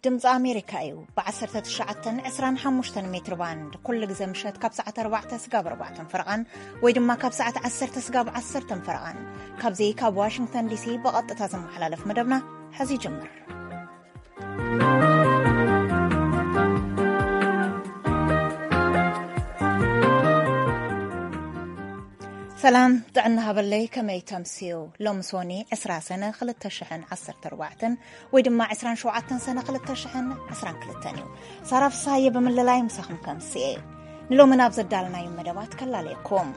ድምፂ ኣሜሪካ እዩ። ብ19፣ 25 ሜትር ባንድ ኩሉ ግዜ ምሸት ካብ ሰዓት 4 ስጋብ 4 ፈረቓን ወይ ድማ ካብ ሰዓት 10 ስጋብ 10 ፈረቓን ካብዚ ካብ ዋሽንግተን ዲሲ ብቐጥታ ዝመሓላለፍ መደብና ሕዚ ይጅምር። ሰላም ጥዕና ሃበለይ፣ ከመይ ተምስዩ? ሎም ሶኒ 20 ሰነ 2014 ወይ ድማ 27 ሰነ 2022 እዩ። ሳራ ፍሳየ ብምልላይ ምሳኹም ከምስየ። ንሎሚ ናብ ዘዳልናዩ መደባት ከላለየኩም።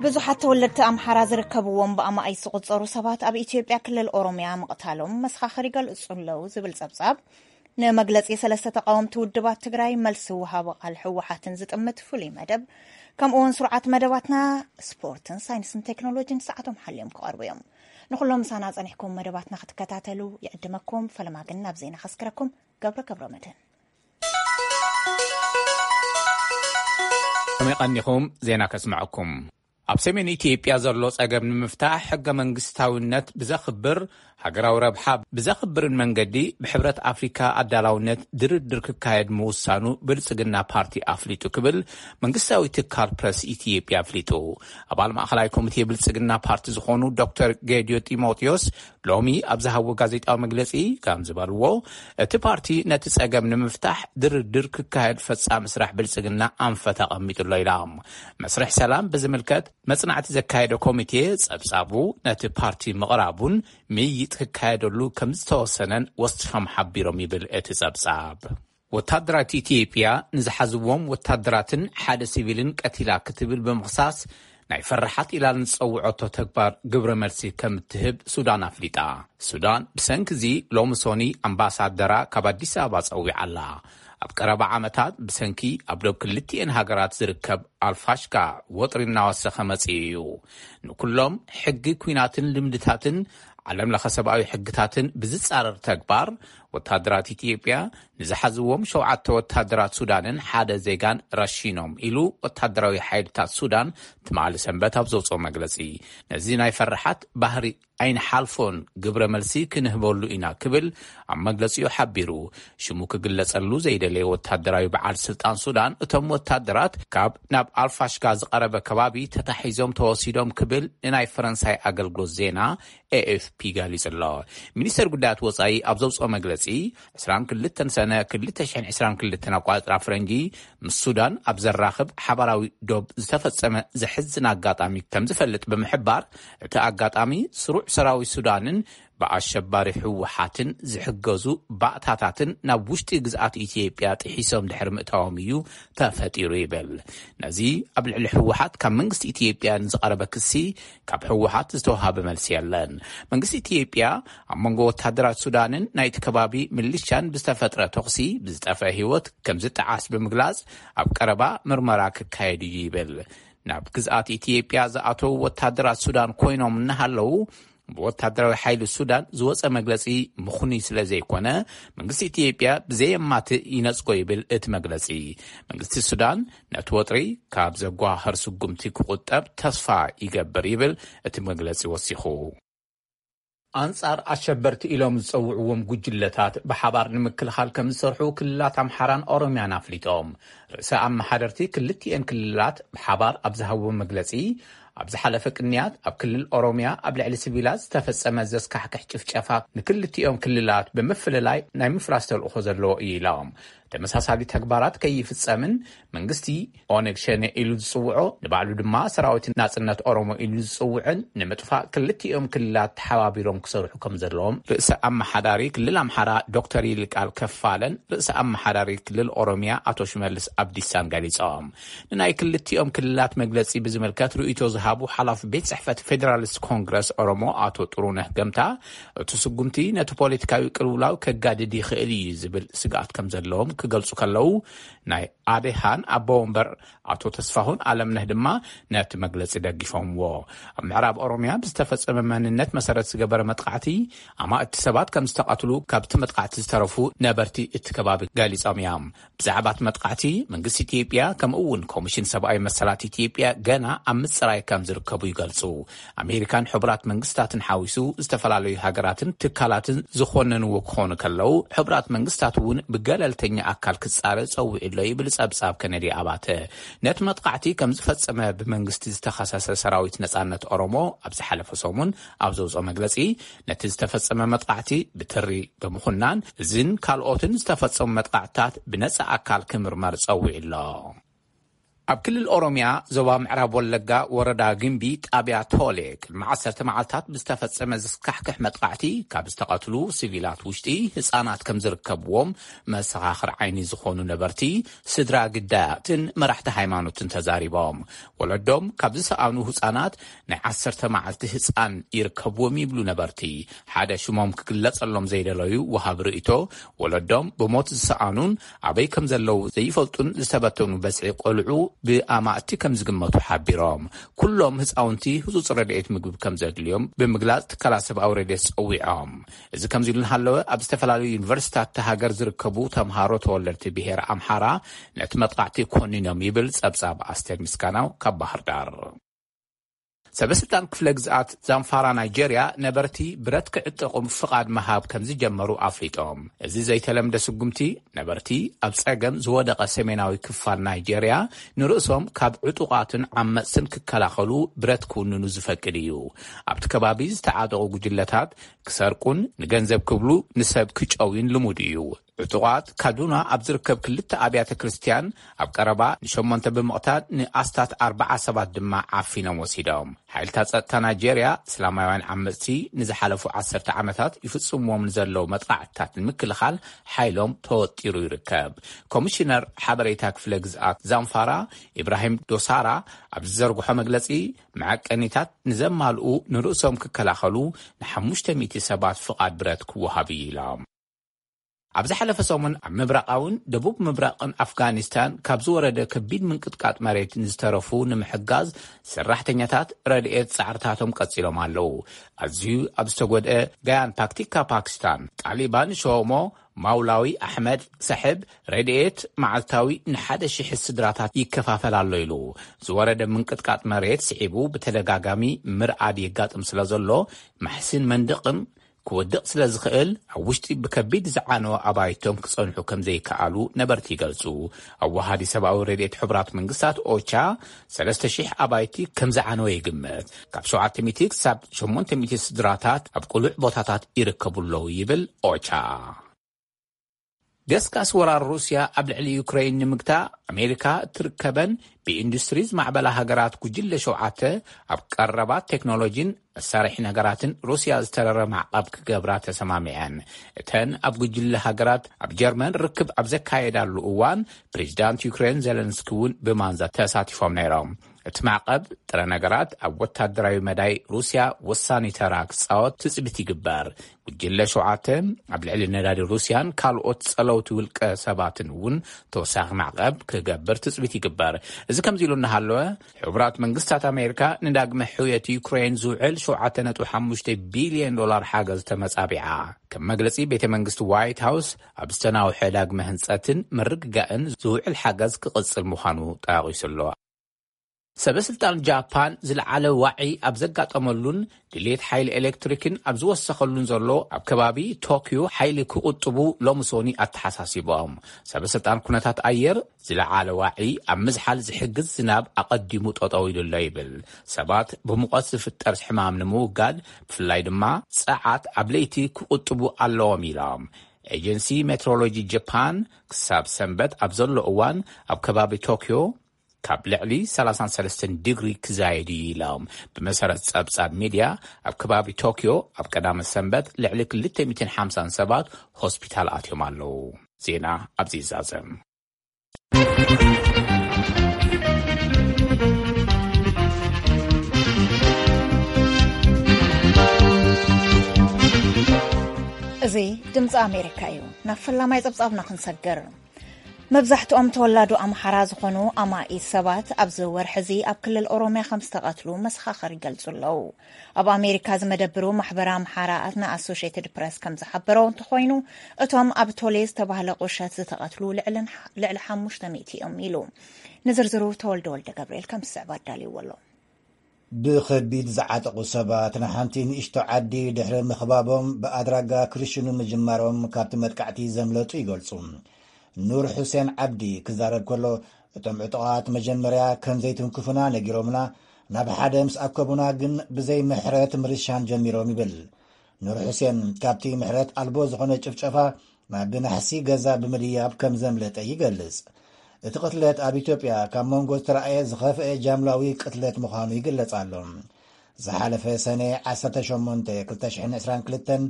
ብዙሓት ተወለድቲ ኣምሓራ ዝርከብዎም ብኣማኢት ዝቑጸሩ ሰባት ኣብ ኢትዮጵያ ክልል ኦሮምያ ምቕታሎም መሰኻኽር ይገልጹ ኣለዉ ዝብል ጸብጻብ ንመግለጺ ሰለስተ ተቃወምቲ ውድባት ትግራይ መልሲ ወሃቢ ቃል ህወሓትን ዝጥምት ፍሉይ መደብ፣ ከምኡ እውን ስሩዓት መደባትና ስፖርትን ሳይንስን ቴክኖሎጂን ሰዓቶም ሓልዮም ክቐርቡ እዮም። ንኹሎም ምሳና ጸኒሕኩም መደባትና ክትከታተሉ ይዕድመኩም። ፈለማ ግን ናብ ዜና ከስክረኩም። ገብረ ገብረ መድህን። ከመይ ቀኒኹም? ዜና ከስምዐኩም። ኣብ ሰሜን ኢትዮጵያ ዘሎ ጸገም ንምፍታሕ ሕገ መንግስታዊነት ብዘኽብር፣ ሃገራዊ ረብሓ ብዘኽብርን መንገዲ ብሕብረት ኣፍሪካ ኣዳላውነት ድርድር ክካየድ ምውሳኑ ብልጽግና ፓርቲ ኣፍሊጡ ክብል መንግስታዊ ትካል ፕረስ ኢትዮጵያ ኣፍሊጡ። ኣባል ማእኸላይ ኮሚቴ ብልጽግና ፓርቲ ዝኾኑ ዶክተር ጌዲዮ ጢሞቴዎስ ሎሚ ኣብ ዝሃብዎ ጋዜጣዊ መግለጺ ከም ዝበልዎ፣ እቲ ፓርቲ ነቲ ጸገም ንምፍታሕ ድርድር ክካየድ ፈጻሚ ስራሕ ብልጽግና ኣንፈት ኣቐሚጡ ኣሎ ኢሎም። መስርሕ ሰላም ብዝምልከት መጽናዕቲ ዘካየደ ኮሚቴ ጸብጻቡ ነቲ ፓርቲ ምቕራቡን ምይይጥ ክካየደሉ ከም ዝተወሰነን ወሲኾም ሓቢሮም ይብል እቲ ጸብጻብ። ወታደራት ኢትዮጵያ ንዝሓዝዎም ወታደራትን ሓደ ሲቪልን ቀቲላ ክትብል ብምኽሳስ ናይ ፈራሓት ኢላ ንዝጸውዐቶ ተግባር ግብረ መልሲ ከም እትህብ ሱዳን ኣፍሊጣ። ሱዳን ብሰንኪ እዚ ሎሚ ሶኒ ኣምባሳደራ ካብ ኣዲስ ኣበባ ጸዊዓ ኣላ። ኣብ ቀረባ ዓመታት ብሰንኪ ኣብ ዶብ ክልቲኤን ሃገራት ዝርከብ ኣልፋሽጋ ወጥሪ እናወሰኸ መጺኡ እዩ። ንኩሎም ሕጊ ኲናትን ልምድታትን ዓለም ለኸ ሰብኣዊ ሕግታትን ብዝጻረር ተግባር ወታደራት ኢትዮጵያ ንዝሓዝዎም ሸውዓተ ወታደራት ሱዳንን ሓደ ዜጋን ረሺኖም ኢሉ ወታደራዊ ሓይልታት ሱዳን ትማሊ ሰንበት ኣብ ዘውፅኦ መግለፂ። ነዚ ናይ ፈራሓት ባህሪ ኣይንሓልፎን፣ ግብረ መልሲ ክንህበሉ ኢና ክብል ኣብ መግለፂኡ ሓቢሩ። ሽሙ ክግለጸሉ ዘይደለየ ወታደራዊ በዓል ስልጣን ሱዳን እቶም ወታደራት ካብ ናብ ኣልፋሽጋ ዝቐረበ ከባቢ ተታሒዞም ተወሲዶም ክብል ንናይ ፈረንሳይ ኣገልግሎት ዜና ኤኤፍፒ ገሊጹ ኣሎ። ሚኒስተር ጉዳያት ወጻኢ ኣብ ዘውጽኦ መግለጺ 22 ሰነ 2022 ኣቋጽራ ፍረንጂ ምስ ሱዳን ኣብ ዘራኽብ ሓባራዊ ዶብ ዝተፈጸመ ዘሕዝን ኣጋጣሚ ከም ዝፈልጥ ብምሕባር፣ እቲ ኣጋጣሚ ስሩዕ ሰራዊት ሱዳንን ብኣሸባሪ ህወሓትን ዝሕገዙ ባእታታትን ናብ ውሽጢ ግዝኣት ኢትዮጵያ ጥሒሶም ድሕሪ ምእታዎም እዩ ተፈጢሩ ይብል። ነዚ ኣብ ልዕሊ ህወሓት ካብ መንግስቲ ኢትዮጵያ ንዝቐረበ ክሲ ካብ ህወሓት ዝተዋሃበ መልሲ የለን። መንግስቲ ኢትዮጵያ ኣብ መንጎ ወታደራት ሱዳንን ናይቲ ከባቢ ምልሻን ብዝተፈጥረ ተኹሲ ብዝጠፍአ ህይወት ከም ዝጠዓስ ብምግላጽ ኣብ ቀረባ ምርመራ ክካየድ እዩ ይብል። ናብ ግዝኣት ኢትዮጵያ ዝኣተዉ ወታደራት ሱዳን ኮይኖም እናሃለዉ ብወታደራዊ ሓይሊ ሱዳን ዝወጸ መግለጺ ምኹኑይ ስለ ዘይኮነ፣ መንግስቲ ኢትዮጵያ ብዘየማትእ ይነጽጎ ይብል እቲ መግለጺ። መንግስቲ ሱዳን ነቲ ወጥሪ ካብ ዘጓህር ስጉምቲ ክቑጠብ ተስፋ ይገብር ይብል እቲ መግለጺ ወሲኹ። ኣንጻር ኣሸበርቲ ኢሎም ዝጸውዕዎም ጉጅለታት ብሓባር ንምክልኻል ከም ዝሰርሑ ክልላት ኣምሓራን ኦሮምያን ኣፍሊጦም። ርእሰ ኣመሓደርቲ ክልቲኤን ክልላት ብሓባር ኣብ ዝሃብዎ መግለጺ፣ ኣብ ዝሓለፈ ቅንያት ኣብ ክልል ኦሮምያ ኣብ ልዕሊ ሲቪላት ዝተፈጸመ ዘስካሕክሕ ጭፍጨፋ ንክልቲኦም ክልላት ብምፍልላይ ናይ ምፍራስ ተልእኾ ዘለዎ እዩ ኢሎም። ተመሳሳሊ ተግባራት ከይፍጸምን መንግስቲ ኦነግ ሸኔ ኢሉ ዝጽውዖ፣ ንባዕሉ ድማ ሰራዊት ናጽነት ኦሮሞ ኢሉ ዝጽውዕን ንምጥፋእ ክልቲኦም ክልላት ተሓባቢሮም ክሰርሑ ከም ዘለዎም ርእሰ ኣመሓዳሪ ክልል ኣምሓራ ዶክተር ይልቃል ከፋለን ርእሰ ኣመሓዳሪ ክልል ኦሮምያ ኣቶ ሽመልስ ኣብዲሳን ገሊጾም። ንናይ ክልቲኦም ክልላት መግለጺ ብዝምልከት ርእይቶ ዝሃቡ ሓላፊ ቤት ጽሕፈት ፌደራሊስት ኮንግረስ ኦሮሞ ኣቶ ጥሩነህ ገምታ፣ እቲ ስጉምቲ ነቲ ፖለቲካዊ ቅልውላው ከጋድድ ይኽእል እዩ ዝብል ስግኣት ከም ዘለዎም ክገልጹ ከለዉ፣ ናይ ኣዴሃን ኣቦ ወንበር ኣቶ ተስፋሁን ኣለምነህ ድማ ነቲ መግለጺ ደጊፎምዎ። ኣብ ምዕራብ ኦሮምያ ብዝተፈጸመ መንነት መሰረት ዝገበረ መጥቃዕቲ ኣማእቲ ሰባት ከም ዝተቐትሉ ካብቲ መጥቃዕቲ ዝተረፉ ነበርቲ እቲ ከባቢ ገሊጾም እዮም። ብዛዕባ እቲ መጥቃዕቲ መንግስቲ ኢትዮጵያ ከምኡ እውን ኮሚሽን ሰብኣዊ መሰላት ኢትዮጵያ ገና ኣብ ምጽራይ ከም ከም ዝርከቡ ይገልጹ። ኣሜሪካን ሕቡራት መንግስታትን ሓዊሱ ዝተፈላለዩ ሃገራትን ትካላትን ዝኾነንዎ ክኾኑ ከለዉ፣ ሕቡራት መንግስታት እውን ብገለልተኛ ኣካል ክጻረ ጸዊዑ ኣሎ ይብል ጸብጻብ ከነዲ ኣባተ። ነቲ መጥቃዕቲ ከም ዝፈጸመ ብመንግስቲ ዝተኸሰሰ ሰራዊት ነጻነት ኦሮሞ ኣብ ዝሓለፈ ሰሙን ኣብ ዘውፅኦ መግለጺ፣ ነቲ ዝተፈጸመ መጥቃዕቲ ብትሪ ብምኹናን እዝን ካልኦትን ዝተፈጸሙ መጥቃዕትታት ብነጻ ኣካል ክምርመር ጸዊዑ ኣሎ። ኣብ ክልል ኦሮሚያ ዞባ ምዕራብ ወለጋ ወረዳ ግምቢ ጣብያ ቶሌ ቅድሚ ዓሰርተ መዓልታት ብዝተፈጸመ ዘስካሕክሕ መጥቃዕቲ ካብ ዝተቐትሉ ሲቪላት ውሽጢ ህጻናት ከም ዝርከብዎም መሰኻኽር ዓይኒ ዝኾኑ ነበርቲ፣ ስድራ ግዳያትን መራሕቲ ሃይማኖትን ተዛሪቦም። ወለዶም ካብ ዝሰኣኑ ህጻናት ናይ ዓሰርተ መዓልቲ ህጻን ይርከብዎም ይብሉ ነበርቲ። ሓደ ሽሞም ክግለጸሎም ዘይደለዩ ወሃብ ርእይቶ፣ ወለዶም ብሞት ዝሰኣኑን ኣበይ ከም ዘለዉ ዘይፈልጡን ዝተበተኑ በዝሒ ቆልዑ ብኣማእቲ ከም ዝግመቱ ሓቢሮም። ኩሎም ህጻውንቲ ህጹጽ ረድኤት ምግቢ ከም ዘድልዮም ብምግላጽ ትካላት ሰብኣዊ ረድኤት ጸዊዖም። እዚ ከምዚ ኢሉ እናሃለወ፣ ኣብ ዝተፈላለዩ ዩኒቨርሲታት እታ ሃገር ዝርከቡ ተምሃሮ ተወለድቲ ብሄር ኣምሓራ ነቲ መጥቃዕቲ ኮኒኖም ይብል ጸብጻብ ኣስቴር ምስጋናው ካብ ባህር ዳር። ሰበስልጣን ክፍለ ግዝኣት ዛምፋራ ናይጄርያ ነበርቲ ብረት ክዕጠቑ ፍቓድ ምሃብ ከም ዝጀመሩ ኣፍሊጦም። እዚ ዘይተለምደ ስጉምቲ ነበርቲ ኣብ ጸገም ዝወደቐ ሰሜናዊ ክፋል ናይጄርያ ንርእሶም ካብ ዕጡቓትን ዓመጽትን ክከላኸሉ ብረት ክውንኑ ዝፈቅድ እዩ። ኣብቲ ከባቢ ዝተዓጠቑ ጉጅለታት ክሰርቁን ንገንዘብ ክብሉ ንሰብ ክጨውዩን ልሙድ እዩ። ዕጡቓት ካዱና ኣብ ዝርከብ ክልተ ኣብያተ ክርስትያን ኣብ ቀረባ ንሸሞንተ ብምቕታል ንኣስታት ኣርብዓ ሰባት ድማ ዓፊኖም ወሲዶም። ሓይልታት ጸጥታ ናይጄርያ እስላማውያን ዓመጽቲ ንዝሓለፉ ዓሰርተ ዓመታት ይፍጽምዎም ንዘለዉ መጥቃዕትታት ንምክልኻል ሓይሎም ተወጢሩ ይርከብ። ኮሚሽነር ሓበሬታ ክፍለ ግዝኣት ዛምፋራ ኢብራሂም ዶሳራ ኣብ ዝዘርግሖ መግለጺ፣ መዐቀኒታት ንዘማልኡ ንርእሶም ክከላኸሉ ንሓሙሽተ ሚእቲ ሰባት ፍቓድ ብረት ክወሃብ እዩ ኢሎም። ኣብ ዝሓለፈ ሰሙን ኣብ ምብራቓውን ደቡብ ምብራቕን ኣፍጋኒስታን ካብ ዝወረደ ከቢድ ምንቅጥቃጥ መሬት ንዝተረፉ ንምሕጋዝ ሰራሕተኛታት ረድኤት ጻዕርታቶም ቀጺሎም ኣለዉ። ኣዝዩ ኣብ ዝተጎድአ ጋያን ፓክቲካ ፓኪስታን ጣሊባን ሸሞ ማውላዊ ኣሕመድ ሳሕብ ረድኤት መዓልታዊ ንሓደ ሽሕ ስድራታት ይከፋፈል ኣሎ ኢሉ። ዝወረደ ምንቅጥቃጥ መሬት ስዒቡ ብተደጋጋሚ ምርኣድ የጋጥም ስለ ዘሎ፣ ማሕስን መንደቕን ክወድቕ ስለ ዝኽእል፣ ኣብ ውሽጢ ብከቢድ ዝዓነወ ኣባይቶም ክጸንሑ ከም ዘይከኣሉ ነበርቲ ይገልጹ። ኣዋሃዲ ሰብኣዊ ረድኤት ሕቡራት መንግስታት ኦቻ፣ ሰለስተ ሽሕ ኣባይቲ ከም ዝዓነወ ይግመት። ካብ ሸውዓተ ሚእቲ ክሳብ ሸሞንተ ሚእቲ ስድራታት ኣብ ቅሉዕ ቦታታት ይርከቡ ኣለዉ ይብል ኦቻ። ገስጋስ ወራር ሩስያ ኣብ ልዕሊ ዩክሬን ንምግታእ፣ ኣሜሪካ እትርከበን ብኢንዱስትሪ ዝማዕበላ ሃገራት ጉጅለ ሸውዓተ ኣብ ቀረባት ቴክኖሎጂን መሳርሒ ነገራትን ሩስያ ዝተረረ ማዕቐብ ክገብራ ተሰማሚዐን። እተን ኣብ ጉጅለ ሃገራት ኣብ ጀርመን ርክብ ኣብ ዘካየዳሉ እዋን፣ ፕሬዚዳንት ዩክሬን ዜለንስኪ እውን ብማንዛ ተሳቲፎም ነይሮም። እቲ ማዕቐብ ጥረ ነገራት ኣብ ወታደራዊ መዳይ ሩስያ ወሳኒ ተራ ክጻወት ትጽቢት ይግበር። ጉጅለ ሸውዓተ ኣብ ልዕሊ ነዳዲ ሩስያን ካልኦት ጸለውቲ ውልቀ ሰባትን እውን ተወሳኺ ማዕቐብ ክገብር ትጽቢት ይግበር። እዚ ከምዚ ኢሉ እናሃለወ፣ ሕቡራት መንግስታት ኣሜሪካ ንዳግመ ሕውየት ዩክሬን ዝውዕል ሸውዓተ ነጥቢ ሓሙሽተ ቢልዮን ዶላር ሓገዝ ተመጻቢዓ። ከም መግለጺ ቤተ መንግስቲ ዋይት ሃውስ፣ ኣብ ዝተናውሐ ዳግመ ህንጸትን ምርግጋእን ዝውዕል ሓገዝ ክቕጽል ምዃኑ ጠቒሱ ኣሎ። ሰበ ስልጣን ጃፓን ዝለዓለ ዋዒ ኣብ ዘጋጠመሉን ድሌት ሓይሊ ኤሌክትሪክን ኣብ ዝወሰኸሉን ዘሎ ኣብ ከባቢ ቶክዮ ሓይሊ ክቑጥቡ ሎሚ ሶኒ ኣተሓሳሲቦም። ሰበ ስልጣን ኩነታት ኣየር ዝለዓለ ዋዒ ኣብ ምዝሓል ዝሕግዝ ዝናብ ኣቐዲሙ ጠጠው ኢሉ ኣሎ ይብል። ሰባት ብሙቐት ዝፍጠር ሕማም ንምውጋድ ብፍላይ ድማ ጸዓት ኣብ ለይቲ ክቑጥቡ ኣለዎም ኢሎም። ኤጀንሲ ሜትሮሎጂ ጃፓን ክሳብ ሰንበት ኣብ ዘሎ እዋን ኣብ ከባቢ ቶክዮ ካብ ልዕሊ ሰላሳን ሰለስተን ዲግሪ ክዛየድ እዩ ኢሎም። ብመሰረት ጸብጻብ ሚድያ፣ ኣብ ከባቢ ቶክዮ ኣብ ቀዳመ ሰንበት ልዕሊ ክልተ ሚእትን ሓምሳን ሰባት ሆስፒታል ኣትዮም ኣለዉ። ዜና ኣብዚ ይዛዘም። እዚ ድምፂ ኣሜሪካ እዩ። ናብ ፈላማይ ጸብጻብና ክንሰግር። መብዛሕትኦም ተወላዶ ኣምሓራ ዝኾኑ ኣማኢት ሰባት ኣብዚ ወርሒ እዚ ኣብ ክልል ኦሮምያ ከም ዝተቐትሉ መሰኻኽር ይገልጹ ኣለዉ። ኣብ ኣሜሪካ ዝመደብሩ ማሕበር ኣምሓራ ንኣሶሼትድ ፕረስ ከም ዝሓበሮ እንተኾይኑ፣ እቶም ኣብ ቶሌ ዝተባህለ ቁሸት ዝተቐትሉ ልዕልን-፣ ልዕሊ ሓሙሽተ ሚእቲ እዮም ኢሉ። ንዝርዝሩ ተወልደ ወልደ ገብርኤል ከም ዝስዕብ ኣዳልይዎ ኣሎ። ብኸቢድ ዝዓጠቑ ሰባት ንሓንቲ ንእሽቶ ዓዲ ድሕሪ ምኽባቦም ብኣድራጋ ክርሽኑ ምጅማሮም ካብቲ መጥቃዕቲ ዘምለጡ ይገልጹ። ኑር ሑሴን ዓብዲ ክዛረብ ከሎ፣ እቶም ዕጡቓት መጀመርያ ከም ዘይትንክፉና ነጊሮምና፣ ናብ ሓደ ምስ ኣከቡና ግን ብዘይ ምሕረት ምርሻን ጀሚሮም ይብል። ኑር ሑሴን ካብቲ ምሕረት ኣልቦ ዝኾነ ጭፍጨፋ ናብ ናሕሲ ገዛ ብምድያብ ከም ዘምለጠ ይገልጽ። እቲ ቅትለት ኣብ ኢትዮጵያ ካብ መንጎ ዝተረኣየ ዝኸፍአ ጃምላዊ ቅትለት ምዃኑ ይግለጽ ኣሎ። ዝሓለፈ ሰነ ዓሰርተ ሸሞንተ ክልተ ሽሕን ዕስራን ክልተን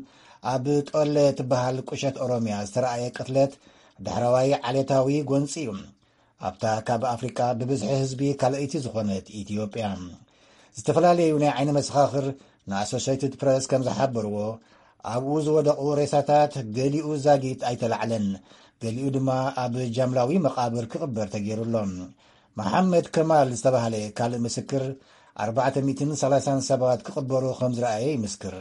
ኣብ ጦለ ትበሃል ቁሸት ኦሮምያ ዝተረኣየ ቅትለት ዳሕረዋይ ዓሌታዊ ጎንጺ እዩ። ኣብታ ካብ ኣፍሪቃ ብብዝሒ ህዝቢ ካልኣይቲ ዝኾነት ኢትዮጵያ። ዝተፈላለዩ ናይ ዓይኒ መሰኻኽር ንኣሶሴይትድ ፕረስ ከም ዝሓበርዎ፣ ኣብኡ ዝወደቑ ሬሳታት ገሊኡ ዛጊት ኣይተላዕለን፣ ገሊኡ ድማ ኣብ ጃምላዊ መቓብር ክቕበር ተገይሩ ኣሎ። መሓመድ ከማል ዝተባህለ ካልእ ምስክር፣ ኣርባዕተ ሚእትን ሰላሳን ሰባት ክቕበሩ ከም ዝረኣየ ይምስክር።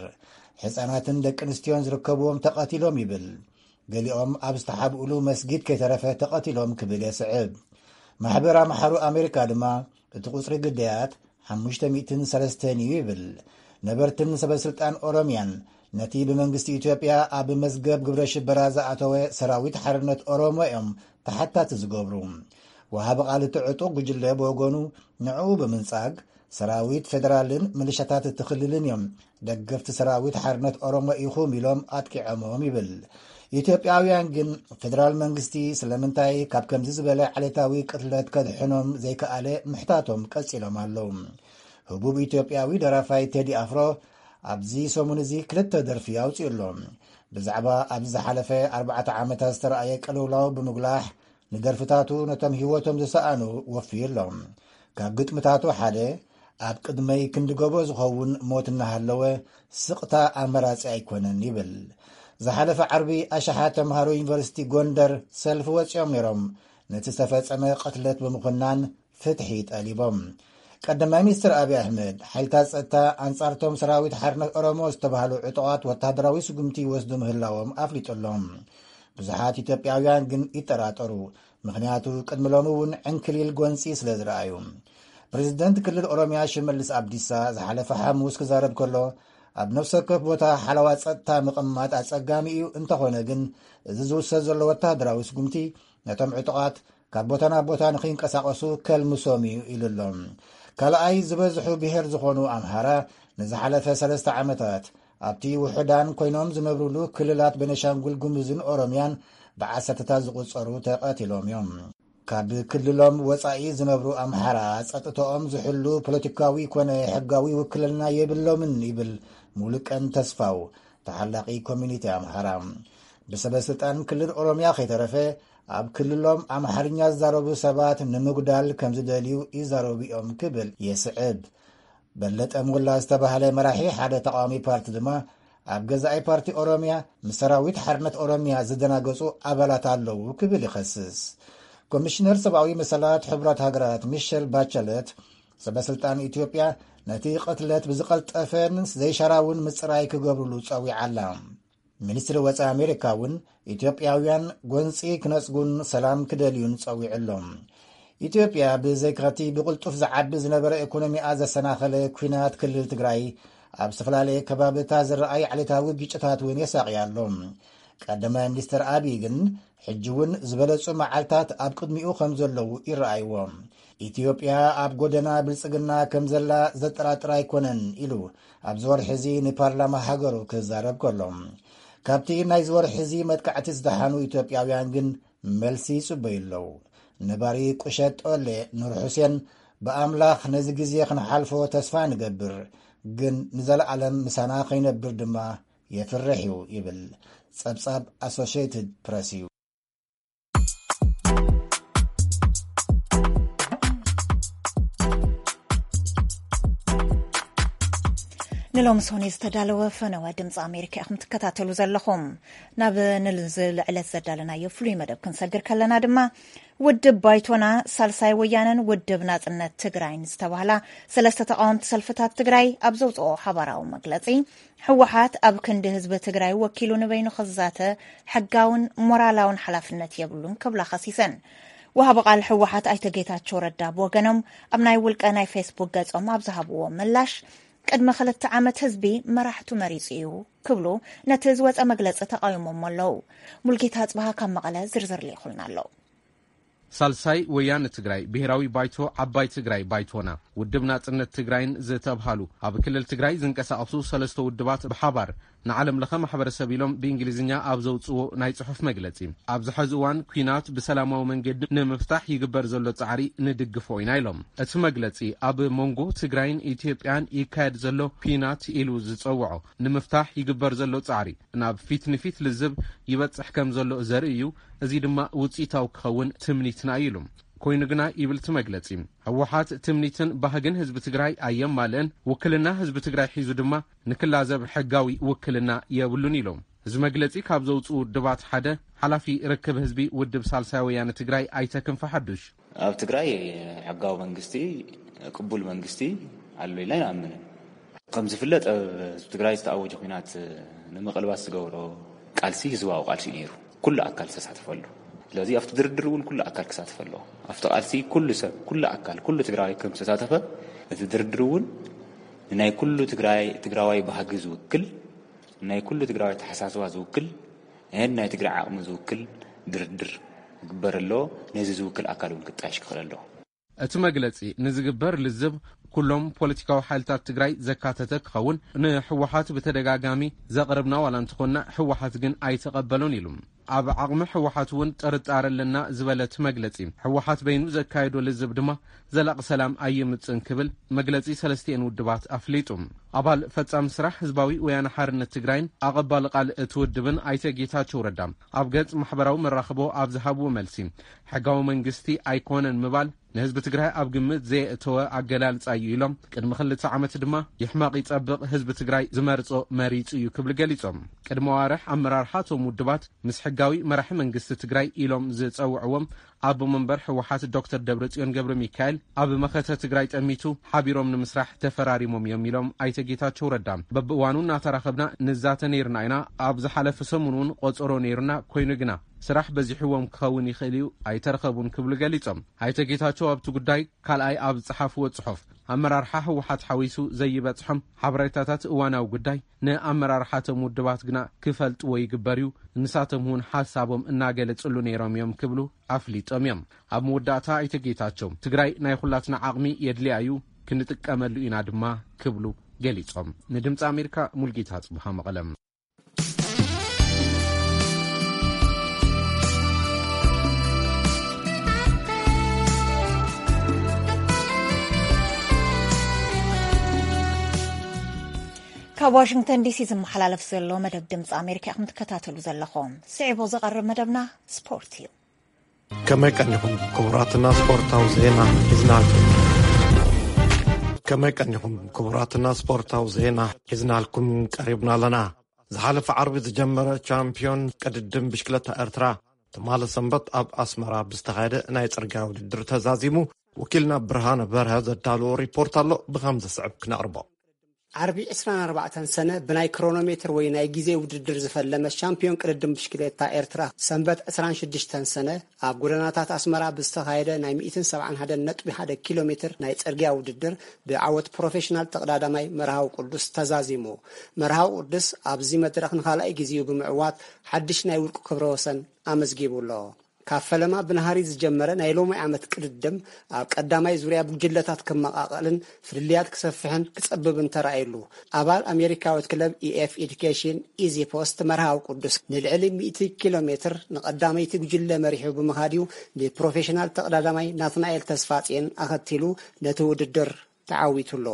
ህጻናትን ደቂ ኣንስትዮን ዝርከብዎም ተቐቲሎም ይብል። ገሊኦም ኣብ ዝተሓብኡሉ መስጊድ ከይተረፈ ተቐቲሎም ክብል የስዕብ። ማሕበር ኣምሓሩ ኣሜሪካ ድማ፣ እቲ ቁጽሪ ግዳያት ሓሙሽተ ሚእትን ሰለስተን እዩ ይብል። ነበርትን ሰበስልጣን ኦሮምያን ነቲ ብመንግስቲ ኢትዮጵያ ኣብ መዝገብ ግብረ ሽበራ ዝኣተወ ሰራዊት ሓርነት ኦሮሞ እዮም ተሓታቲ ዝገብሩ። ወሃቢ ቃል እቲ ዕጡቕ ጉጅለ ብወገኑ፣ ንዕኡ ብምንጻግ፣ ሰራዊት ፌደራልን ምልሻታት እቲ ክልልን እዮም ደገፍቲ ሰራዊት ሓርነት ኦሮሞ ኢኹም ኢሎም ኣጥቂዖሞም ይብል። ኢትዮጵያውያን ግን፣ ፌደራል መንግስቲ ስለምንታይ ካብ ከምዚ ዝበለ ዓሌታዊ ቅትለት ከድሕኖም ዘይከኣለ ምሕታቶም ቀጺሎም ኣለዉ። ህቡብ ኢትዮጵያዊ ደራፋይ ቴዲ ኣፍሮ ኣብዚ ሰሙን እዚ ክልተ ደርፊ ኣውጺኡ ኣሎ። ብዛዕባ ኣብዚ ዝሓለፈ ኣርባዕተ ዓመታት ዝተረኣየ ቅልውላው ብምጉላሕ፣ ንደርፍታቱ ነቶም ህይወቶም ዝሰኣኑ ወፍዩ ኣሎ። ካብ ግጥምታቱ ሓደ፣ ኣብ ቅድመይ ክንዲ ጎቦ ዝኸውን ሞት እናሃለወ፣ ስቕታ ኣማራጺ ኣይኮነን ይብል። ዝሓለፈ ዓርቢ ኣሽሓት ተምሃሮ ዩኒቨርሲቲ ጎንደር ሰልፊ ወጺኦም ነይሮም፣ ነቲ ዝተፈጸመ ቅትለት ብምኹናን ፍትሒ ጠሊቦም። ቀዳማይ ሚኒስትር ኣብይ ኣሕመድ፣ ሓይልታት ጸጥታ ኣንጻርቶም ሰራዊት ሓርነት ኦሮሞ ዝተባህሉ ዕጡቓት ወተሃደራዊ ስጉምቲ ይወስዱ ምህላዎም ኣፍሊጡ ኣሎ። ብዙሓት ኢትዮጵያውያን ግን ይጠራጠሩ፣ ምኽንያቱ ቅድሚ ሎሚ እውን ዕንክሊል ጎንጺ ስለ ዝረኣዩ። ፕሬዝደንት ክልል ኦሮምያ ሽመልስ ኣብዲሳ ዝሓለፈ ሓሙስ ክዛረብ ከሎ፣ ኣብ ነፍሲ ወከፍ ቦታ ሓለዋ ጸጥታ ምቕማጥ ኣጸጋሚ እዩ፣ እንተኾነ ግን እዚ ዝውሰድ ዘሎ ወተሃደራዊ ስጉምቲ ነቶም ዕጡቓት ካብ ቦታ ናብ ቦታ ንኽይንቀሳቐሱ ከልምሶም እዩ ኢሉ ኣሎ። ካልኣይ ዝበዝሑ ብሄር ዝኾኑ ኣምሓራ ንዝሓለፈ ሰለስተ ዓመታት ኣብቲ ውሑዳን ኮይኖም ዝነብሩሉ ክልላት ቤኒሻንጉል ጉሙዝን ኦሮምያን ብዓሰርተታት ዝቑጸሩ ተቐቲሎም እዮም። ካብ ክልሎም ወጻኢ ዝነብሩ ኣምሓራ ጸጥታኦም ዝሕሉ ፖለቲካዊ ኮነ ሕጋዊ ውክልና የብሎምን ይብል ሙሉቀን ተስፋው፣ ተሓላቒ ኮሚኒቲ ኣምሓራ። ብሰበ ስልጣን ክልል ኦሮምያ ከይተረፈ ኣብ ክልሎም ኣምሓርኛ ዝዛረቡ ሰባት ንምጉዳል ከም ዝደልዩ ይዛረቡ እዮም ክብል የስዕብ። በለጠ ሞላ ዝተባህለ መራሒ ሓደ ተቃዋሚ ፓርቲ ድማ ኣብ ገዛኢ ፓርቲ ኦሮምያ ምስ ሰራዊት ሓርነት ኦሮምያ ዝደናገጹ ኣባላት ኣለዉ ክብል ይኸስስ። ኮሚሽነር ሰብኣዊ መሰላት ሕቡራት ሃገራት ሚሸል ባቸለት ሰበ ስልጣን ኢትዮጵያ ነቲ ቅትለት ብዝቐልጠፈን ዘይሻራውን ምጽራይ ክገብሩሉ ጸዊዓ ኣላ። ሚኒስትሪ ወጻኢ ኣሜሪካ እውን ኢትዮጵያውያን ጎንጺ ክነጽጉን ሰላም ክደልዩን ጸዊዑ ኣሎ። ኢትዮጵያ ብዘይካቲ ብቕልጡፍ ዝዓቢ ዝነበረ ኢኮኖሚኣ ዘሰናኸለ ኲናት ክልል ትግራይ ኣብ ዝተፈላለየ ከባብታት ዝረኣይ ዓሌታዊ ግጭታት እውን የሳቕያ ኣሎ። ቀዳማይ ሚኒስትር ኣብይ ግን ሕጂ እውን ዝበለጹ መዓልታት ኣብ ቅድሚኡ ከም ዘለዉ ይረኣይዎ። ኢትዮጵያ ኣብ ጎደና ብልጽግና ከም ዘላ ዘጠራጥር ኣይኮነን ኢሉ ኣብዚ ወርሒ እዚ ንፓርላማ ሃገሩ ክዛረብ ከሎ፣ ካብቲ ናይዚ ወርሒ እዚ መጥቃዕቲ ዝደሓኑ ኢትዮጵያውያን ግን መልሲ ይጽበዩ ኣለዉ። ነባሪ ቁሸት ጦሌ ኑር ሑሴን፣ ብኣምላኽ ነዚ ግዜ ክንሓልፎ ተስፋ ንገብር፣ ግን ንዘለኣለም ምሳና ከይነብር ድማ የፍርሕ እዩ ይብል። ጸብጻብ ኣሶሽየትድ ፕረስ እዩ። ንሎሚ ሰኑይ ዝተዳለወ ፈነወ ድምፂ ኣሜሪካ ኢኹም ትከታተሉ ዘለኹም። ናብ ንዚ ልዕለት ዘዳለናዮ ፍሉይ መደብ ክንሰግር ከለና ድማ፣ ውድብ ባይቶና፣ ሳልሳይ ወያነን ውድብ ናፅነት ትግራይን ዝተባህላ ሰለስተ ተቃወምቲ ሰልፍታት ትግራይ ኣብ ዘውፅኦ ሓባራዊ መግለፂ፣ ህወሓት ኣብ ክንዲ ህዝቢ ትግራይ ወኪሉ ንበይኑ ክዛተ ሕጋውን ሞራላውን ሓላፍነት የብሉን ክብላ ከሲሰን። ወሃቢ ቃል ህወሓት ኣይተ ጌታቸው ረዳ ብወገኖም ኣብ ናይ ውልቀ ናይ ፌስቡክ ገጾም ኣብ ዝሃብዎ ምላሽ፣ ቅድሚ ክልተ ዓመት ህዝቢ መራሕቱ መሪጹ እዩ ክብሉ ነቲ ዝወጸ መግለጺ ተቃዊሞም ኣለዉ። ሙልጌታ ኣጽብሃ ካብ መቐለ ዝርዝር ልኢኹልና ኣሎ። ሳልሳይ ወያነ ትግራይ፣ ብሔራዊ ባይቶ፣ ዓባይ ትግራይ ባይቶና፣ ውድብ ናጽነት ትግራይን ዝተብሃሉ ኣብ ክልል ትግራይ ዝንቀሳቐሱ ሰለስተ ውድባት ብሓባር ንዓለም ለኸ ማሕበረሰብ ኢሎም ብእንግሊዝኛ ኣብ ዘውፅዎ ናይ ጽሑፍ መግለጺ፣ ኣብዚ ሐዚ እዋን ኲናት ብሰላማዊ መንገዲ ንምፍታሕ ይግበር ዘሎ ጻዕሪ ንድግፎ ኢና ኢሎም። እቲ መግለጺ ኣብ መንጎ ትግራይን ኢትዮጵያን ይካየድ ዘሎ ኲናት ኢሉ ዝጸውዖ ንምፍታሕ ይግበር ዘሎ ጻዕሪ ናብ ፊት ንፊት ልዝብ ይበጽሕ ከም ዘሎ ዘርኢ እዩ። እዚ ድማ ውጽኢታዊ ክኸውን ትምኒትና እዩ ኢሉ። ኮይኑ ግና ይብል እቲ መግለጺ፣ ህወሓት ትምኒትን ባህግን ህዝቢ ትግራይ ኣየማልእን፣ ውክልና ህዝቢ ትግራይ ሒዙ ድማ ንክላዘብ ሕጋዊ ውክልና የብሉን ኢሎም። እዚ መግለጺ ካብ ዘውፅኡ ውድባት ሓደ ሓላፊ ርክብ ህዝቢ ውድብ ሳልሳይ ወያነ ትግራይ ኣይተ ክንፈ ሓዱሽ። ኣብ ትግራይ ሕጋዊ መንግስቲ፣ ቅቡል መንግስቲ ኣሎ ኢልና ኣይንኣምንን። ከም ዝፍለጥ ኣብ ህዝቢ ትግራይ ዝተኣወጀ ኲናት ንምቕልባስ ዝገብሮ ቃልሲ ህዝባዊ ቃልሲ እዩ ነይሩ። ኩሉ ኣካል ዝተሳተፈሉ። ስለዚ ኣብቲ ድርድር እውን ኩሉ ኣካል ክሳተፍ ኣለዎ። ኣብቲ ቃልሲ ኩሉ ሰብ፣ ኩሉ ኣካል፣ ኩሉ ትግራዋይ ከም ዝተሳተፈ እቲ ድርድር እውን ንናይ ኩሉ ትግራይ፣ ትግራዋይ ባህጊ ዝውክል፣ ናይ ኩሉ ትግራዋይ ተሓሳስባ ዝውክል፣ ናይ ትግራይ ዓቕሚ ዝውክል ድርድር ክግበር ኣለዎ። ነዚ ዝውክል ኣካል እውን ክጣየሽ ክኽእል ኣለዎ። እቲ መግለጺ ንዝግበር ልዝብ ኩሎም ፖለቲካዊ ሓይልታት ትግራይ ዘካተተ ክኸውን ንህወሓት ብተደጋጋሚ ዘቕረብና ዋላ እንተኾንና ህወሓት ግን ኣይተቐበሎን ኢሉ። ኣብ ዓቕሚ ህወሓት እውን ጥርጣረ ኣለና ዝበለ እቲ መግለጺ፣ ህወሓት በይኑ ዘካየዶ ልዝብ ድማ ዘላቒ ሰላም ኣየምጽእን ክብል መግለጺ ሰለስቲኤን ውድባት ኣፍሊጡ። ኣባል ፈጻሚ ስራሕ ህዝባዊ ወያነ ሓርነት ትግራይን ኣቐባሊ ቃል እቲ ውድብን ኣይተ ጌታቸው ረዳ ኣብ ገጽ ማሕበራዊ መራኽቦ ኣብ ዝሃብዎ መልሲ፣ ሕጋዊ መንግስቲ ኣይኮነን ምባል ንህዝቢ ትግራይ ኣብ ግምት ዘየእተወ ኣገላልጻ እዩ ኢሎም፣ ቅድሚ ክልተ ዓመት ድማ ይሕመቕ ይጸብቕ ህዝቢ ትግራይ ዝመርጾ መሪጹ እዩ ክብሉ ገሊጾም። ቅድሚ ኣዋርሕ ኣመራርሓ እቶም ውድባት ምስ ሕጋዊ መራሒ መንግስቲ ትግራይ ኢሎም ዝጸውዕዎም ኣቦ መንበር ህወሓት ዶክተር ደብረጽዮን ገብረ ሚካኤል ኣብ መኸተ ትግራይ ጠሚቱ ሓቢሮም ንምስራሕ ተፈራሪሞም እዮም ኢሎም ኣይተ ጌታቸው ረዳ። በብእዋኑ እናተራኸብና ንዛተ ነይርና ኢና። ኣብ ዝሓለፈ ሰሙን እውን ቆጸሮ ነይሩና፣ ኮይኑ ግና ስራሕ በዚሕዎም ክኸውን ይኽእል እዩ፣ ኣይተረኸቡን ክብሉ ገሊጾም። ኣይተ ጌታቸው ኣብቲ ጉዳይ ካልኣይ ኣብ ዝጸሓፍዎ ጽሑፍ፣ ኣመራርሓ ህወሓት ሓዊሱ ዘይበጽሖም ሓበሬታታት እዋናዊ ጉዳይ ንኣመራርሓቶም ውድባት ግና ክፈልጥዎ ይግበር እዩ፣ ንሳቶም እውን ሓሳቦም እናገለጽሉ ነይሮም እዮም ክብሉ ኣፍሊጦም እዮም። ኣብ መወዳእታ ኣይተ ጌታቸው፣ ትግራይ ናይ ኩላትና ዓቕሚ የድልያ እዩ፣ ክንጥቀመሉ ኢና ድማ ክብሉ ገሊጾም። ንድምፂ ኣሜሪካ ሙልጌታ ጽቡሃ መቐለም። ካብ ዋሽንግተን ዲሲ ዝመሓላለፍ ዘሎ መደብ ድምፂ ኣሜሪካ ኢኹም ትከታተሉ ዘለኹም። ስዒቡ ዝቐርብ መደብና ስፖርት እዩ። ከመይ ቀኒኹም ክቡራትና? ስፖርታዊ ዜና ሒዝናልኩም። ከመይ ቀኒኹም ክቡራትና? ስፖርታዊ ዜና ሒዝናልኩም ቀሪብና ኣለና። ዝሓለፈ ዓርቢ ዝጀመረ ቻምፒዮን ቅድድም ብሽክለታ ኤርትራ ትማሊ ሰንበት ኣብ ኣስመራ ብዝተኻየደ ናይ ጽርግያ ውድድር ተዛዚሙ። ወኪልና ብርሃነ በርሀ ዘዳለዎ ሪፖርት ኣሎ፣ ብኸም ዝስዕብ ክነቕርቦ። ዓርቢ ዕስራን ኣርባዕተን ሰነ ብናይ ክሮኖሜትር ወይ ናይ ግዜ ውድድር ዝፈለመ ሻምፒዮን ቅድድም ብሽክሌታ ኤርትራ ሰንበት ዕስራን ሽዱሽተን ሰነ ኣብ ጎደናታት ኣስመራ ብዝተኻየደ ናይ ሚእትን ሰብዓን ሓደን ነጥቢ ሓደ ኪሎ ሜትር ናይ ጽርግያ ውድድር ብዓወት ፕሮፌሽናል ተቐዳዳማይ መርሃዊ ቅዱስ ተዛዚሙ። መርሃዊ ቅዱስ ኣብዚ መድረኽ ንኻልኣይ ግዜኡ ብምዕዋት ሓድሽ ናይ ውልቁ ክብረ ወሰን ኣመዝጊቡ ኣሎ። ካብ ፈለማ ብናሃሪ ዝጀመረ ናይ ሎሚ ዓመት ቅድድም ኣብ ቀዳማይ ዙርያ ብጉጅለታት ክመቓቐልን ፍልልያት ክሰፍሕን ክጸብብን ተራእዩሉ። ኣባል ኣሜሪካዊት ክለብ ኢኤፍ ኤዱኬሽን ኢዚ ፖስት መርሃዊ ቅዱስ ንልዕሊ ሚእቲ ኪሎ ሜትር ንቐዳመይቲ ጉጅለ መሪሑ ብምኻድ እዩ ንፕሮፌሽናል ተቐዳዳማይ ናትናኤል ተስፋጽዮን ኣኸቲሉ ነቲ ውድድር ተዓዊቱ ኣሎ።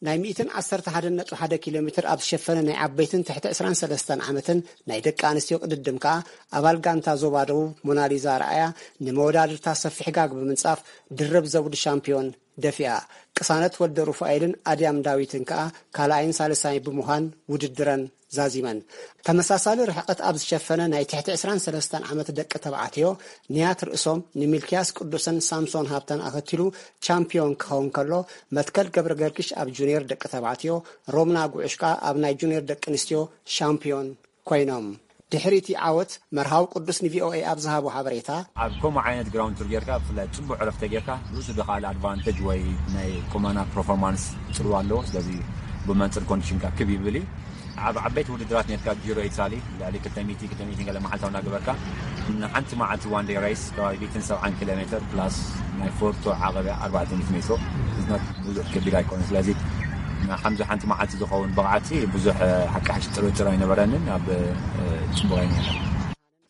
ናይ ሚእትን ዓሰርተ ሓደን ነጥቢ ሓደ ኪሎ ሜትር ኣብ ዝሸፈነ ናይ ዓበይትን ትሕቲ ዕስራን ሰለስተን ዓመትን ናይ ደቂ ኣንስትዮ ቅድድም ከኣ ኣባል ጋንታ ዞባ ደቡብ ሞናሊዛ ኣርኣያ ንመወዳድርታ ሰፊሕ ጋግ ብምንጻፍ ድርብ ዘውዲ ሻምፒዮን ደፊኣ። ቅሳነት ወልደ ሩፋኤልን ኣድያም ዳዊትን ከኣ ካልኣይን ሳልሳይ ብምዃን ውድድረን ዛዚመን። ተመሳሳሊ ርሕቐት ኣብ ዝሸፈነ ናይ ትሕቲ ዕስራን ሰለስተን ዓመት ደቂ ተባዕትዮ ንያት ርእሶም ንሚልክያስ ቅዱስን ሳምሶን ሃብተን ኣኸቲሉ ቻምፒዮን ክኸውን ከሎ፣ መትከል ገብረ ገርግሽ ኣብ ጁኒየር ደቂ ተባዕትዮ፣ ሮምና ጉዑሽ ከኣ ኣብ ናይ ጁኒየር ደቂ ኣንስትዮ ሻምፒዮን ኮይኖም። ድሕሪ እቲ ዓወት፣ መርሃዊ ቅዱስ ንቪኦኤ ኣብ ዝሃቦ ሓበሬታ፣ ኣብ ከምኡ ዓይነት ግራውንድ ቱር ጌርካ፣ ብፍላይ ጽቡቕ ዕረፍቲ ጌርካ፣ ርእሱ ዝኸኣለ ኣድቫንቴጅ ወይ ናይ ቁመና ፐርፎርማንስ ጽልዋ ኣለዎ። ስለዚ ብመንጽር ኮንዲሽንካ ክብ ይብል እዩ። ኣብ ዓበይቲ ውድድራት ኔርካ፣ ጂሮ ኢታሊ ልዕሊ ክልተ ሚእቲ፣ ክልተ ሚእቲ ገለ መዓልታዊ እናገበርካ፣ ንሓንቲ መዓልቲ ዋን ዴይ ሬስ ከባቢ ሚእትን ሰብዓን ኪሎ ሜትር ፕላስ ናይ ፎርቶ ዓቐብያ ኣርባዕተ ሚእቲ ሜትሮ፣ ብዙሕ ከቢድ ኣይኮነ። ስለዚ ንከምዚ ሓንቲ መዓልቲ ዝኸውን ብቕዓት ብዙሕ ሓቂ ሓሽ ጥርጥር ኣይነበረንን። ኣብ ጽቡቕ ኣይነበረ።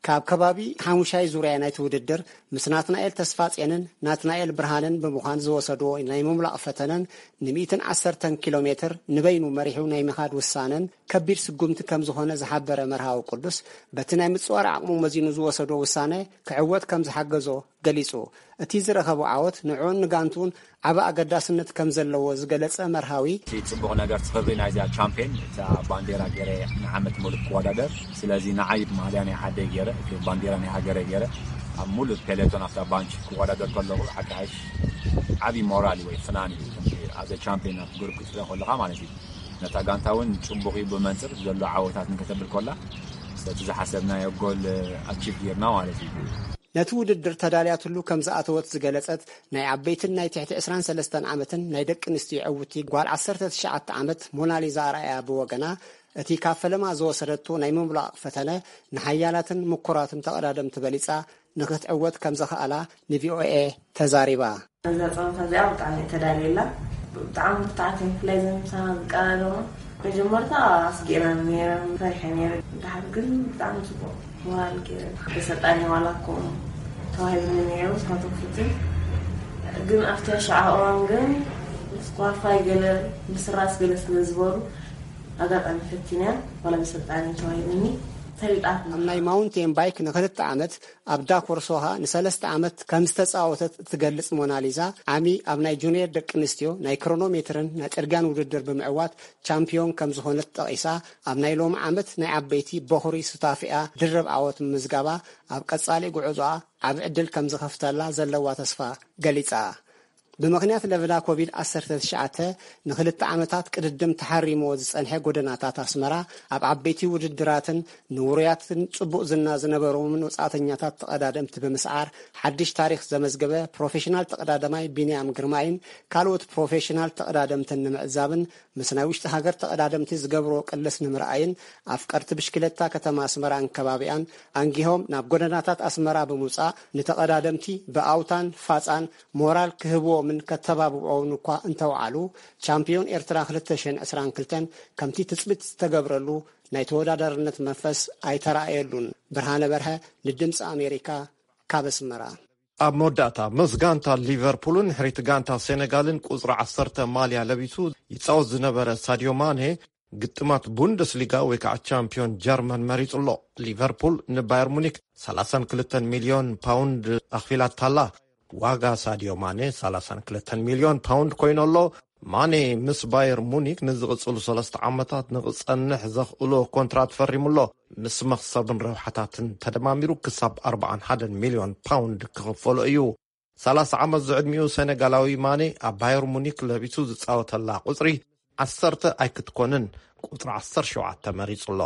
ካብ ከባቢ ሓሙሻይ ዙርያ ናይቲ ውድድር ምስ ናትናኤል ተስፋጼንን ናትናኤል ብርሃንን ብምዃን ዝወሰድዎ ናይ ምምላቕ ፈተነን ን110 ኪሎ ሜትር ንበይኑ መሪሑ ናይ ምኻድ ውሳነን ከቢድ ስጉምቲ ከም ዝኾነ ዝሓበረ መርሃዊ ቅዱስ፣ በቲ ናይ ምጽዋር ዓቕሙ መዚኑ ዝወሰዶ ውሳነ ክዕወት ከም ዝሓገዞ ገሊጹ። እቲ ዝረኸቦ ዓወት ንዕኡን ንጋንትኡን ዓቢ ኣገዳስነት ከም ዘለዎ ዝገለጸ መርሃዊ፣ እቲ ጽቡቕ ነገር፣ እቲ ክብሪ ናይዚኣ ቻምፕዮን፣ እታ ባንዴራ ገይረ ንዓመት ሙሉእ ክወዳደር፣ ስለዚ ንዓይ ማልያ ናይ ዓደይ ገይረ፣ እቲ ባንዴራ ናይ ሃገረይ ገይረ ኣብ ሙሉእ ፔሌቶን ኣብታ ባንች ክወዳደር ከለኹ ሓቂ ሓይሽ ዓቢ ሞራል እዩ ወይ ፍናን እዩ። ከምዚ ኣዘ ቻምፕዮን ኣብ ግሩፕ ክትርኢ ከለኻ ማለት እዩ። ነታ ጋንታ እውን ጽቡቕ እዩ ብመንጽር ዘሎ ዓወታት እንከተብል ከላ፣ ስለቲ ዝሓሰብናዮ ጎል ኣቺቭ ጌርና ማለት እዩ። ነቲ ውድድር ተዳልያትሉ ከም ዝኣተወት ዝገለጸት ናይ ዓበይትን ናይ ትሕቲ ዕስራን ሰለስተን ዓመትን ናይ ደቂ ኣንስትዮ ዕውቲ ጓል ዓሰርተ ትሽዓተ ዓመት ሞናሊዛ ኣርኣያ ብወገና፣ እቲ ካብ ፈለማ ዝወሰደቶ ናይ ምምላቕ ፈተነ ንሓያላትን ምኩራትን ተቐዳደምቲ በሊጻ ንክትዕወት ከም ዘኽኣላ ንቪኦኤ ተዛሪባ። እዛ ጸወታ እዚኣ ብጣዕሚ እየ ተዳልየላ። ብጣዕሚ ብርትዓት እየ፣ ብፍላይ እዘን ምሳና ዝቀዳደማ። መጀመርታ ኣስጊእና ነይረ፣ ፈሪሐ ነይረ። ድሓር ግን ብጣዕሚ ጽቡቕ ሞራል ገይረ። ኣሰልጣኒ ዋላ እኮ ተዋሂብኒ ነይሩ፣ ንሳቶም ክፍትን። ግን ኣብቲ ኣሻዓ እዋን ግን ምስ ኳርፋይ ገለ ምስራስ ገለ ስለ ዝበሩ፣ ኣጋጣሚ ፈቲነያ፣ ዋላ ብሰልጣኒ ተዋሂብኒ፣ ተሪጣት። ኣብ ናይ ማውንቴን ባይክ ንክልተ ዓመት፣ ኣብ ዳኮር ሶኻ ንሰለስተ ዓመት ከም ዝተጻወተት እትገልጽ ሞናሊዛ፣ ዓሚ ኣብ ናይ ጁንየር ደቂ ኣንስትዮ ናይ ክሮኖሜትርን ናይ ጽርግያን ውድድር ብምዕዋት ቻምፒዮን ከም ዝኾነት ጠቒሳ፣ ኣብ ናይ ሎሚ ዓመት ናይ ዓበይቲ በኹሪ ሱታፌኣ ድርብ ዓወት ምምዝጋባ፣ ኣብ ቀጻሊ ጉዕዞኣ ዓቢ ዕድል ከም ዝኸፍተላ ዘለዋ ተስፋ ገሊጻ። ብምኽንያት ለበዳ ኮቪድ ዓሰርተ ትሽዓተ ንኽልተ ዓመታት ቅድድም ተሓሪምዎ ዝጸንሐ ጎደናታት ኣስመራ፣ ኣብ ዓበይቲ ውድድራትን ንውሩያትን ጽቡቕ ዝና ዝነበሮምን ወጻእተኛታት ተቐዳደምቲ ብምስዓር፣ ሓድሽ ታሪኽ ዘመዝገበ ፕሮፌሽናል ተቐዳዳማይ ቢንያም ግርማይን ካልኦት ፕሮፌሽናል ተቐዳደምትን ንምዕዛብን ምስ ናይ ውሽጢ ሃገር ተቐዳደምቲ ዝገብርዎ ቅልስ ንምርኣይን፣ ኣፍቀርቲ ብሽክለታ ከተማ ኣስመራን ከባቢኣን ኣንጊሆም ናብ ጎደናታት ኣስመራ ብምውጻእ፣ ንተቐዳደምቲ ብኣውታን ፋጻን ሞራል ክህብዎምን ከተባብዕዎምን እኳ እንተውዓሉ፣ ቻምፕዮን ኤርትራ ክልተ ሽሕን ዕስራን ክልተን ከምቲ ትጽቢት ዝተገብረሉ ናይ ተወዳዳርነት መንፈስ ኣይተራእየሉን። ብርሃነ በርሀ፣ ንድምጺ ኣሜሪካ፣ ካብ ኣስመራ። ኣብ መወዳእታ፣ ምስ ጋንታ ሊቨርፑልን ድሕሪት ጋንታ ሴነጋልን ቁጽሪ ዓሰርተ ማልያ ለቢሱ ይጻወት ዝነበረ ሳድዮ ማኔ፣ ግጥማት ቡንደስሊጋ ወይ ከዓ ቻምፒዮን ጀርመን መሪጹ ኣሎ። ሊቨርፑል ንባየር ሙኒክ ሰላሳን ክልተን ሚልዮን ፓውንድ ኣኽፊላታላ። ዋጋ ሳድዮ ማኔ ሰላሳን ክልተን ሚልዮን ፓውንድ ኮይኑ ኣሎ። ማኔ ምስ ባየር ሙኒክ ንዝቕጽሉ ሰለስተ ዓመታት ንኽጸንሕ ዘኽእሎ ኮንትራት ፈሪሙ ኣሎ። ምስ መኽሰብን ረብሓታትን ተደማሚሩ ክሳብ ኣርባዓን ሓደን ሚልዮን ፓውንድ ክኽፈሎ እዩ። ሰላሳ ዓመት ዝዕድሚኡ ሴነጋላዊ ማኔ ኣብ ባየር ሙኒክ ለቢሱ ዝጻወተላ ቁጽሪ ዓሰርተ ኣይክትኮንን፣ ቁጽሪ ዓሰርተ ሸውዓተ መሪጹ ኣሎ።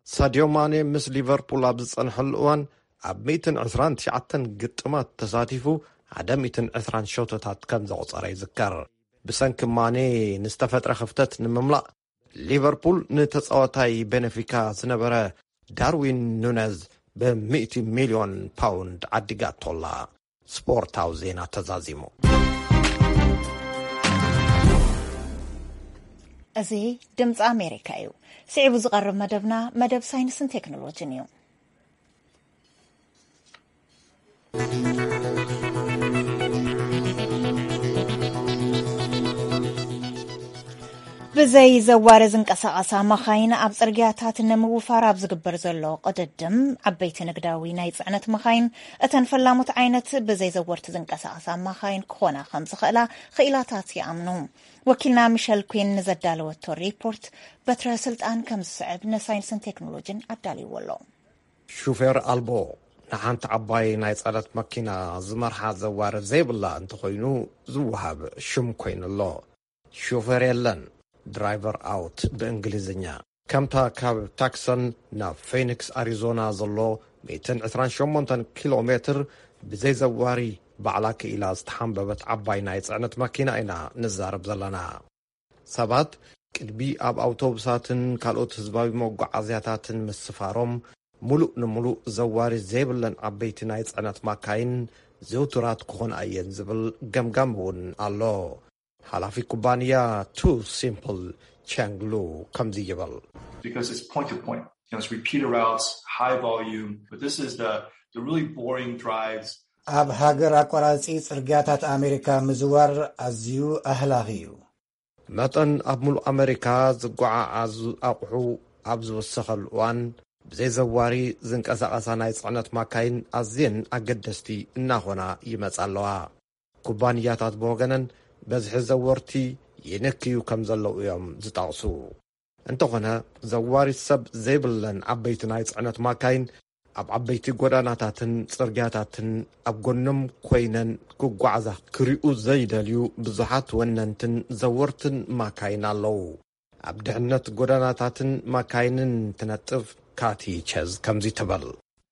ሳድዮ ማኔ ምስ ሊቨርፑል ኣብ ዝጸንሐሉ እዋን ኣብ ሚእትን ዕስራን ትሽዓተን ግጥማት ተሳቲፉ ሓደ ሚእትን ዕስራን ሸቶታት ከም ዘቑጸረ ይዝከር። ብሰንኪ ማኔ ንዝተፈጥረ ክፍተት ንምምላእ ሊቨርፑል ንተጻዋታይ ቤነፊካ ዝነበረ ዳርዊን ኑነዝ ብሚእቲ ሚልዮን ፓውንድ ዓዲጋቶላ። ስፖርታዊ ዜና ተዛዚሙ። እዚ ድምፂ ኣሜሪካ እዩ። ስዒቡ ዝቐርብ መደብና መደብ ሳይንስን ቴክኖሎጂን እዩ። ብዘይ ዘዋሪ ዝንቀሳቐሳ መኻይን ኣብ ጽርግያታት ንምውፋር ኣብ ዝግበር ዘሎ ቅድድም፣ ዓበይቲ ንግዳዊ ናይ ጽዕነት መኻይን፣ እተን ፈላሞት ዓይነት ብዘይ ዘወርቲ ዝንቀሳቐሳ መኻይን ክኾና ከም ዝኽእላ ክኢላታት ይኣምኑ። ወኪልና ሚሸል ኩን ንዘዳለወቶ ሪፖርት በትረ ስልጣን ከም ዝስዕብ ንሳይንስን ቴክኖሎጂን ኣዳልይዎ ኣሎ። ሹፌር ኣልቦ፣ ንሓንቲ ዓባይ ናይ ጽዕነት መኪና ዝመርሓ ዘዋሪ ዘይብላ እንተኾይኑ ዝወሃብ ሽም ኮይኑ ኣሎ። ሾፌር የለን፣ ድራይቨር ኣውት ብእንግሊዝኛ። ከምታ ካብ ታክሰን ናብ ፌኒክስ ኣሪዞና ዘሎ ሚእትን ዕስራን ሸሞንተን ኪሎ ሜትር ብዘይ ዘዋሪ ባዕላ ክኢላ ዝተሓንበበት ዓባይ ናይ ጽዕነት ማኪና ኢና ንዛረብ ዘለና። ሰባት ቅድሚ ኣብ ኣውቶቡሳትን ካልኦት ህዝባዊ መጓዓዝያታትን ምስፋሮም፣ ምሉእ ንምሉእ ዘዋሪ ዘይብለን ዓበይቲ ናይ ጽዕነት ማካይን ዝውቱራት ክኾና እየን ዝብል ገምጋም እውን ኣሎ። ሓላፊ ኩባንያ ቱ ሲምፕል ቻንግሉ ከምዚ ይብል። Because it's point to point. You know, it's repeated routes, high volume, but this is the, the really boring drives. ኣብ ሃገር ኣቋራጺ ጽርግያታት ኣሜሪካ ምዝዋር ኣዝዩ ኣህላኺ እዩ። መጠን ኣብ ሙሉእ ኣሜሪካ ዝጓዓዓዙ ኣቑሑ ኣብ ዝወሰኸሉ እዋን፣ ብዘይ ዘዋሪ ዝንቀሳቐሳ ናይ ጽዕነት ማካይን ኣዝየን ኣገደስቲ እናኾና ይመጻ ኣለዋ። ኩባንያታት ብወገነን በዝሒ ዘወርቲ ይንክዩ ከም ዘለዉ እዮም ዝጠቕሱ። እንተኾነ፣ ዘዋሪ ሰብ ዘይብለን ዓበይቲ ናይ ጽዕነት ማካይን ኣብ ዓበይቲ ጎዳናታትን ጽርግያታትን ኣብ ጎኖም ኮይነን ክጓዓዛ ክሪኡ ዘይደልዩ ብዙሓት ወነንትን ዘወርትን ማካይን ኣለዉ። ኣብ ድሕነት ጎዳናታትን ማካይንን ትነጥፍ ካቲ ቸዝ ከምዚ ትብል።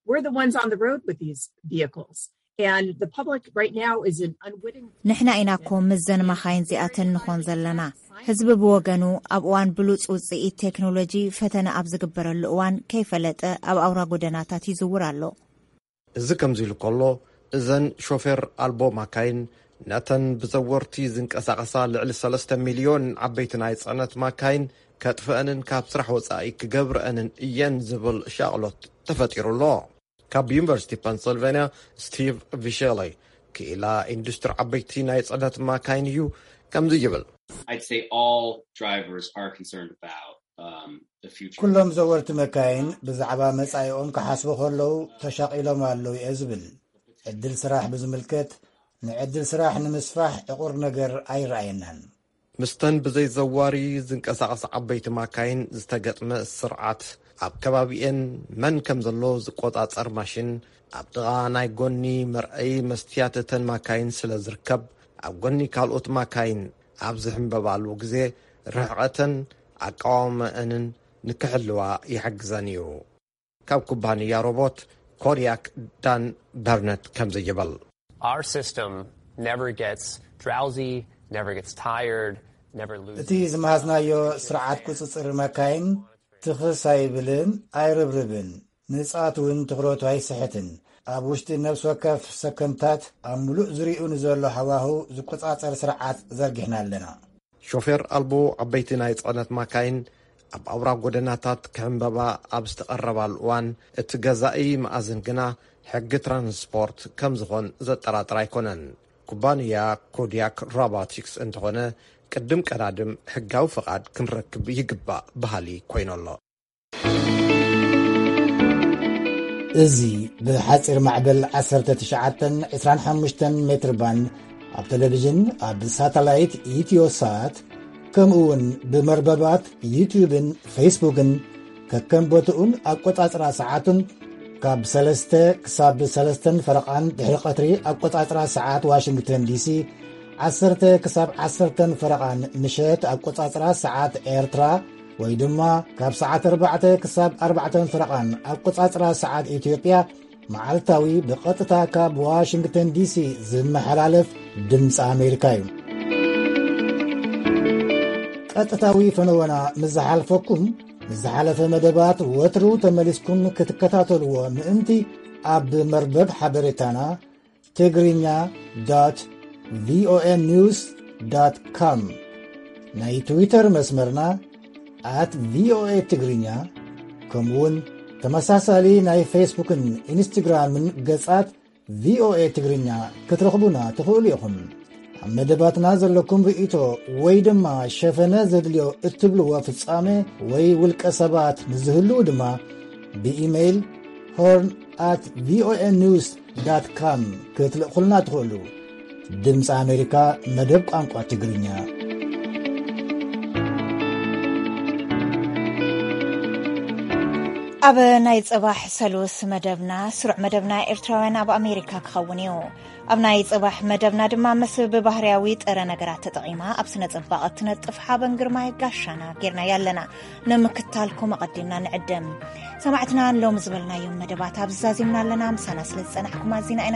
We're the ones on the road with these vehicles. And the public right now is an unwitting ንሕና ኢና እኮ ምስዘን ማኻይን እዚኣተን ንኾን ዘለና። ህዝቢ ብወገኑ ኣብ እዋን ብሉጽ ውጽኢት ቴክኖሎጂ ፈተነ ኣብ ዝግበረሉ እዋን ከይፈለጠ ኣብ ኣውራ ጎደናታት ይዝውር ኣሎ። እዚ ከምዚ ኢሉ ከሎ፣ እዘን ሾፌር ኣልቦ ማካይን ነተን ብዘወርቲ ዝንቀሳቐሳ ልዕሊ ሰለስተ ሚልዮን ዓበይቲ ናይ ጽዕነት ማካይን ከጥፍአንን ካብ ስራሕ ወጻኢ ክገብርአንን እየን ዝብል ሻቕሎት ተፈጢሩ ኣሎ። ካብ ዩኒቨርሲቲ ፐንስልቬንያ ስቲቭ ቪሸሊ፣ ክኢላ ኢንዱስትሪ ዓበይቲ ናይ ጽዕነት ማካይን እዩ ከምዚ ይብል። I'd say all drivers are concerned about um, the future. ኩሎም ዘወርቲ መካይን ብዛዕባ መጻኢኦም ክሓስቡ ከለዉ ተሻቒሎም ኣለዉ እየ ዝብል። ዕድል ስራሕ ብዝምልከት፣ ንዕድል ስራሕ ንምስፋሕ ዕቑር ነገር ኣይረኣየናን። ምስተን ብዘይ ዘዋሪ ዝንቀሳቐሳ ዓበይቲ ማካይን ዝተገጥመ ስርዓት፣ ኣብ ከባቢኤን መን ከም ዘሎ ዝቆጻጸር ማሽን፣ ኣብ ጥቓ ናይ ጎኒ መርኣዪ መስትያት እተን ማካይን ስለ ዝርከብ፣ ኣብ ጎኒ ካልኦት ማካይን ኣብ ዝሕምበባሉ ግዜ ርሕቐተን ኣቃውማኣንን ንክሕልዋ ይሕግዘን እዩ። ካብ ኩባንያ ሮቦት ኮድያክ ዳን በርነት ከምዚ ይብል። Our system never gets drowsy, never gets tired, never loses. እቲ ዝመሃዝናዮ ስርዓት ቁጽጽር መካይን ትኽስ ኣይብልን፣ ኣይርብርብን፣ ንጻት እውን ትኹረቱ ኣይስሕትን። ኣብ ውሽጢ ነፍሲ ወከፍ ሰከንድታት ኣብ ምሉእ ዙርያኡ ንዘሎ ሃዋህው ዝቆጻጸር ስርዓት ዘርጊሕና ኣለና። ሾፌር ኣልቦ ዓበይቲ ናይ ጽዕነት ማካይን ኣብ ኣውራ ጎደናታት ክሕምበባ ኣብ ዝተቐረባሉ እዋን፣ እቲ ገዛኢ መኣዝን ግና ሕጊ ትራንስፖርት ከም ዝኾን ዘጠራጥር ኣይኮነን። ኩባንያ ኮድያክ ሮቦቲክስ እንተኾነ፣ ቅድም ቀዳድም ሕጋዊ ፍቓድ ክንረክብ ይግባእ በሃሊ ኮይኑ ኣሎ። እዚ ብሓጺር ማዕበል ዓሰርተ ትሽዓተን ዕስራን ሓሙሽተን ሜትር ባንድ ኣብ ቴሌቪዥን፣ ኣብ ሳተላይት ኢትዮሳት፣ ከምኡ እውን ብመርበባት ዩትዩብን ፌስቡክን፣ ከከም ቦትኡን ኣቆጻጽራ ሰዓቱን፣ ካብ ሰለስተ ክሳብ ሰለስተን ፈረቓን ድሕሪ ቀትሪ ኣቆጻጽራ ሰዓት ዋሽንግተን ዲሲ፣ ዓሰርተ ክሳብ ዓሰርተን ፈረቓን ምሸት ኣቆጻጽራ ሰዓት ኤርትራ፣ ወይ ድማ ካብ ሰዓት ኣርባዕተ ክሳብ ኣርባዕተን ፈረቓን ኣቆጻጽራ ሰዓት ኢትዮጵያ፣ መዓልታዊ ብቐጥታ ካብ ዋሽንግተን ዲሲ ዝመሓላለፍ ድምፂ ኣሜሪካ እዩ። ቀጥታዊ ፈነወና ምስ ዝሓልፈኩም፣ ንዝሓለፈ መደባት ወትሩ ተመሊስኩም ክትከታተልዎ ምእንቲ፣ ኣብ መርበብ ሓበሬታና ትግርኛ ዶት ቪኦኤ ኒውስ ዶት ኮም፣ ናይ ትዊተር መስመርና ኣት ቪኦኤ ትግርኛ፣ ከምኡውን ተመሳሳሊ ናይ ፌስቡክን ኢንስትግራምን ገጻት ቪኦኤ ትግርኛ ክትረኽቡና ትኽእሉ ኢኹም። ኣብ መደባትና ዘለኩም ርእይቶ ወይ ድማ ሸፈነ ዘድልዮ እትብልዎ ፍጻሜ ወይ ውልቀ ሰባት ንዝህልዉ ድማ ብኢሜይል ሆርን ኣት ቪኦኤ ኒውስ ዳት ካም ክትልእኹልና ትኽእሉ። ድምፂ ኣሜሪካ መደብ ቋንቋ ትግርኛ። ኣብ ናይ ጽባሕ ሰሉስ መደብና፣ ስሩዕ መደብና ኤርትራውያን ኣብ ኣሜሪካ ክኸውን እዩ። ኣብ ናይ ጽባሕ መደብና ድማ ምስ ብባህርያዊ ጥረ ነገራት ተጠቒማ ኣብ ስነ ጽባቐ እትነጥፍ ሓበን ግርማይ ጋሻና ጌርናያ ኣለና። ንምክታልኩም ኣቐዲምና ንዕድም። ሰማዕትና፣ ሎም ዝበልናዮም መደባት ኣብ ዛዚምና ኣለና። ምሳና ስለ ዝጸናሕኩም ኣዚና ኢና